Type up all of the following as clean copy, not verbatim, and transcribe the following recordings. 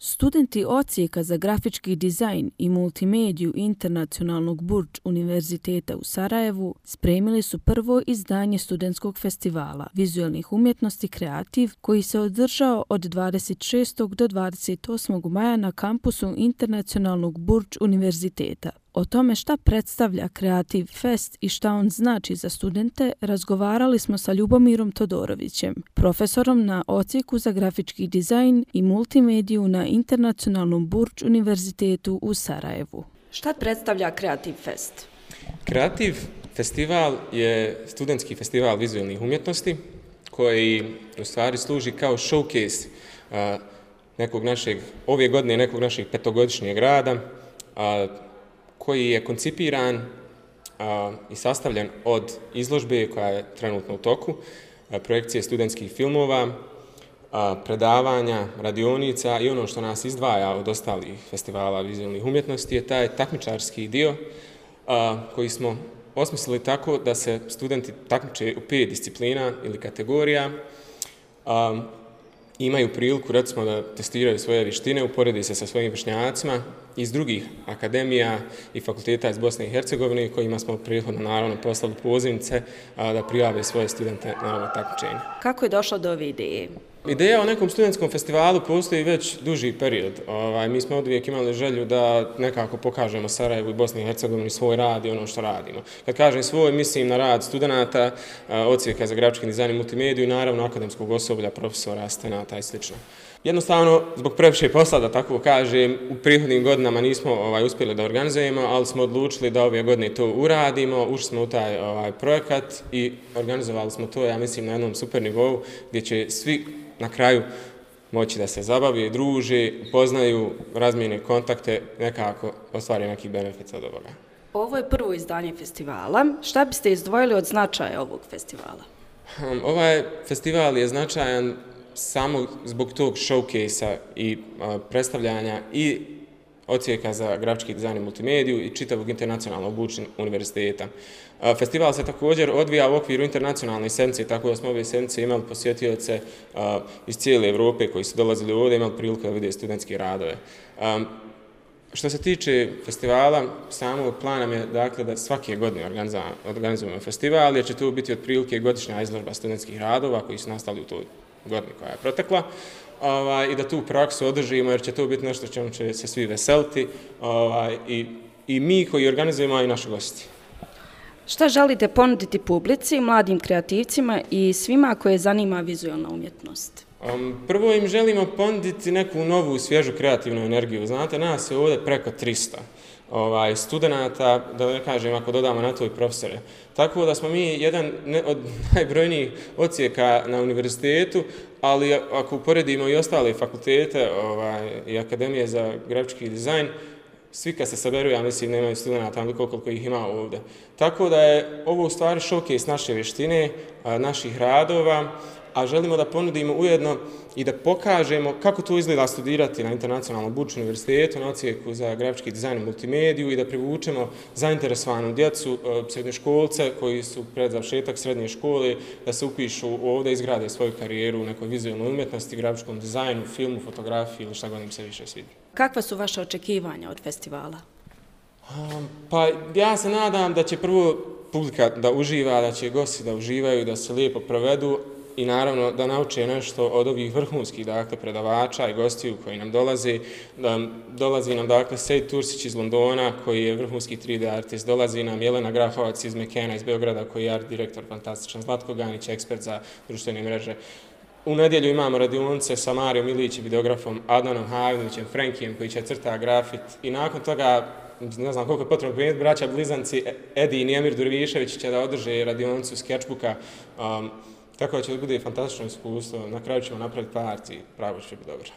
Studenti Odsjeka za grafički dizajn i multimediju Internacionalnog Burč Univerziteta u Sarajevu spremili su prvo izdanje studentskog festivala vizualnih umjetnosti Kreativ koji se održao od 26. do 28. maja na kampusu Internacionalnog Burč Univerziteta. O tome šta predstavlja Kreativ Fest i šta on znači za studente razgovarali smo sa Ljubomirom Todorovićem, profesorom na Odsjeku za grafički dizajn i multimediju na Internacionalnom Burč Univerzitetu u Sarajevu. Šta predstavlja Kreativ Fest? Kreativ festival je studentski festival vizualnih umjetnosti koji u stvari služi kao showcase ove godine nekog našeg petogodišnjeg rada, koji je koncipiran i sastavljen od izložbe koja je trenutno u toku, projekcije studentskih filmova, predavanja, radionica i ono što nas izdvaja od ostalih festivala vizualnih umjetnosti je taj takmičarski dio koji smo osmislili tako da se studenti takmiče u 5 disciplina ili kategorija, imaju priliku recimo da testiraju svoje vještine, uporedi se sa svojim vršnjacima iz drugih akademija i fakulteta iz Bosne i Hercegovine kojima smo prethodno naravno poslali pozivnice da prijave svoje studente na ovo takmičenje. Kako je došlo do ove ideje? Ideja o nekom studentskom festivalu postoji već duži period. Mi smo oduvijek imali želju da nekako pokažemo Sarajevu i Bosni i Hercegovini svoj rad i ono što radimo. Kad kažem svoj, mislim na rad studenata, Odsjeka za grafički dizajn i multimediju i naravno akademskog osoblja, profesora, asistenata i sl. Jednostavno, zbog previše posla, da tako kažem, u prethodnim godinama nismo uspjeli da organizujemo, ali smo odlučili da ove godine to uradimo, ušli smo u taj projekat i organizovali smo to, ja mislim, na jednom super nivou gdje će svi na kraju moći da se zabave, druže, poznaju, razmijene kontakte, nekako ostvare neki benefit od ovoga. Ovo je prvo izdanje festivala. Šta biste izdvojili od značaja ovog festivala? Ovaj festival je značajan samo zbog tog showcase-a i predstavljanja i Odsjeka za grafički dizajn i multimediju i čitavog Internacionalnog Burč Univerziteta. Festival se također odvija u okviru internacionalne sedmice, tako da smo ove sedmice imali posjetioce iz cijele Evrope koji su dolazili ovdje, imali priliku da vide studentske radove. Što se tiče festivala, samog plana je dakle, da svake godine organizujemo festival, jer će to biti otprilike godišnja izložba studentskih radova koji su nastali u toj godini koja je protekla. I da tu praksu održimo, jer će to biti nešto čemu će se svi veseliti i mi koji organizujemo i naši gosti. Šta želite ponuditi publici, mladim kreativcima i svima koje zanima vizualna umjetnost? Prvo im želimo ponuditi neku novu, svježu kreativnu energiju. Znate, nas je ovdje preko 300 studenata, da ne kažem ako dodamo na to i profesore. Tako da smo mi jedan od najbrojnijih odsjeka na univerzitetu, ali ako uporedimo i ostale fakultete i akademije za grafički dizajn, svi kad se saberu, ja mislim, nemaju studenata koliko ih ima ovdje. Tako da je ovo u stvari showcase naše vještine, naših radova, a želimo da ponudimo ujedno i da pokažemo kako to izgleda studirati na Internacionalnom Burč Univerzitetu, na Odsjeku za grafički dizajn i multimediju i da privučemo zainteresovanu djecu, srednjoškolce koji su pred završetak srednje škole, da se upišu ovdje, izgrade svoju karijeru u nekoj vizualnoj umjetnosti, grafičkom dizajnu, filmu, fotografiji ili šta god im se više svidi. Kakva su vaše očekivanja od festivala? Pa ja se nadam da će prvo publika da uživa, da će gosti da uživaju, da se lijepo provedu, i naravno da nauče nešto od ovih vrhunskih predavača i gostiju koji nam dolaze. Dolazi nam Sejt Tursić iz Londona koji je vrhunski 3D artist, dolazi nam Jelena Grahovac iz Mekena iz Beograda koji je art direktor fantastičan, Zlatko Ganić, ekspert za društvene mreže. U nedjelju imamo radionice sa Marijom Ilić, videografom, Adnanom Havinovićem, Frankijem koji će crta grafit i nakon toga, ne znam koliko je potrebno prijeniti, braća blizanci Edi i Nijemir Durvišević će da održe radionicu skečbuka. Tako da će bude fantastično iskustvo, na kraju ćemo napraviti part i pravo će biti dobro.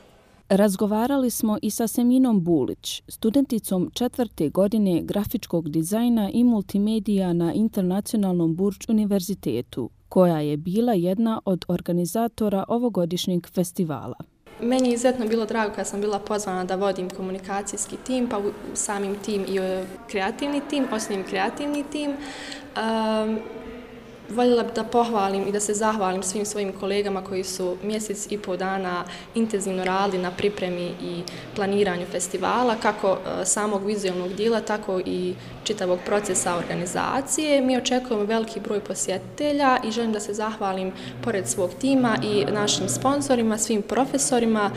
Razgovarali smo i sa Seminom Bulić, studenticom 4. godine grafičkog dizajna i multimedija na Internacionalnom Burč Univerzitetu, koja je bila jedna od organizatora ovogodišnjeg festivala. Meni je izuzetno bilo drago kad sam bila pozvana da vodim komunikacijski tim, pa samim tim i kreativni tim, osnovim kreativni tim. Voljela bih da pohvalim i da se zahvalim svim svojim kolegama koji su mjesec i pol dana intenzivno radili na pripremi i planiranju festivala, kako samog vizualnog dijela, tako i čitavog procesa organizacije. Mi očekujemo veliki broj posjetitelja i želim da se zahvalim pored svog tima i našim sponsorima, svim profesorima,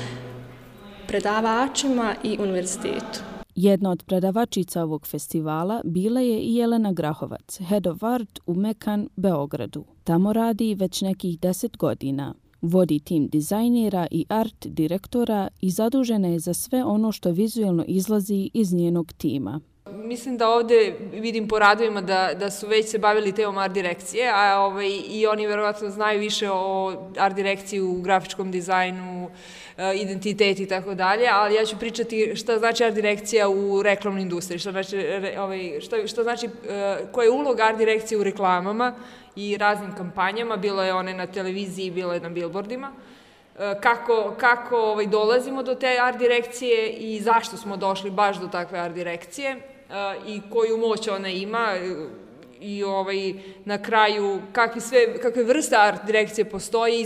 predavačima i univerzitetu. Jedna od predavačica ovog festivala bila je i Jelena Grahovac, Head of Art u Mekan, Beogradu. Tamo radi već nekih 10 godina. Vodi tim dizajnera i art direktora i zadužena je za sve ono što vizualno izlazi iz njenog tima. Mislim da ovdje vidim po radovima da su već se bavili temom art direkcije, a i oni verovatno znaju više o art direkciji u grafičkom dizajnu, identitet i tako dalje, ali ja ću pričati šta znači art direkcija u reklamnoj industriji, šta znači, koja je uloga art direkcije u reklamama i raznim kampanjama, bilo je one na televiziji, bilo je na billboardima. Kako dolazimo do te art direkcije i zašto smo došli baš do takve art direkcije i koju moć ona ima i na kraju kakve vrste art direkcije postoji i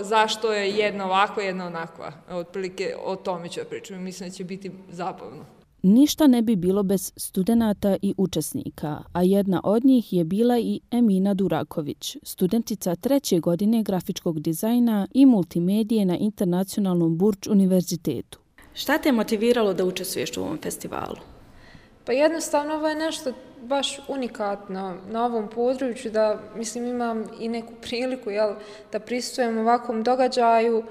zašto je jedna ovakva, jedna onakva. Otprilike o tome ću pričati. Mislim da će biti zabavno. Ništa ne bi bilo bez studenata i učesnika, a jedna od njih je bila i Emina Duraković, studentica 3. godine grafičkog dizajna i multimedije na Internacionalnom Burč univerzitetu. Šta te je motiviralo da učestvuješ u ovom festivalu? Pa jednostavno ovo je nešto baš unikatno na ovom području, da imam i neku priliku da prisustvujem ovakvom događaju,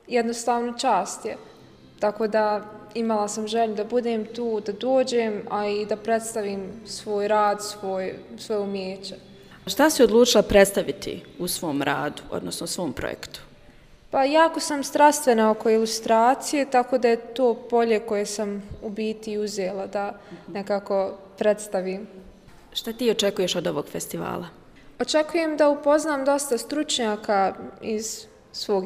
jednostavno čast je. Tako da imala sam želju da budem tu, da dođem, a i da predstavim svoj rad, svoje umijeće. Šta si odlučila predstaviti u svom radu, odnosno svom projektu? Pa jako sam strastvena oko ilustracije, tako da je to polje koje sam u biti uzela da nekako predstavim. Šta ti očekuješ od ovog festivala? Očekujem da upoznam dosta stručnjaka iz svog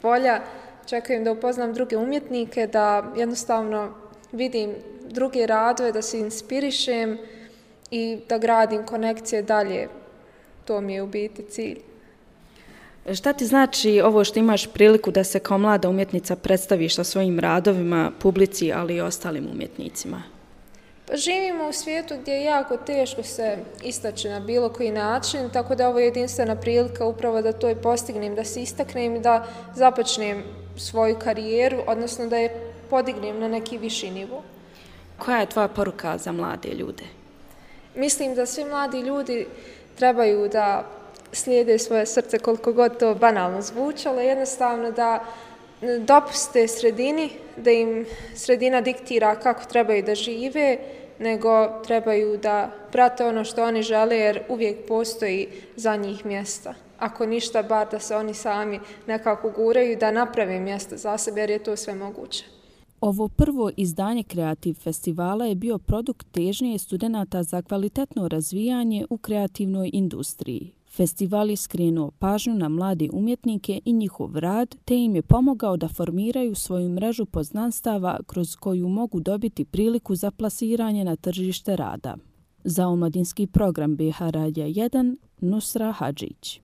polja. Očekujem da upoznam druge umjetnike, da jednostavno vidim druge radove, da se inspirišem i da gradim konekcije dalje. To mi je u biti cilj. Šta ti znači ovo što imaš priliku da se kao mlada umjetnica predstaviš sa svojim radovima, publici, ali i ostalim umjetnicima? Pa živimo u svijetu gdje je jako teško se istaći na bilo koji način, tako da ovo je jedinstvena prilika upravo da to i postignem, da se istaknem i da započnem svoju karijeru, odnosno da je podignem na neki viši nivo. Koja je tvoja poruka za mlade ljude? Mislim da svi mladi ljudi trebaju da slijede svoje srce, koliko god to banalno zvučalo, jednostavno da dopuste sredini, da im sredina diktira kako trebaju da žive, nego trebaju da prate ono što oni žele, jer uvijek postoji za njih mjesta. Ako ništa, bar da se oni sami nekako guraju i da naprave mjesto za sebe, jer je to sve moguće. Ovo prvo izdanje Kreativ festivala je bio produkt težnje studenata za kvalitetno razvijanje u kreativnoj industriji. Festival je skrenuo pažnju na mlade umjetnike i njihov rad, te im je pomogao da formiraju svoju mrežu poznanstava kroz koju mogu dobiti priliku za plasiranje na tržište rada. Za omladinski program BH Radija 1, Nusra Hadžić.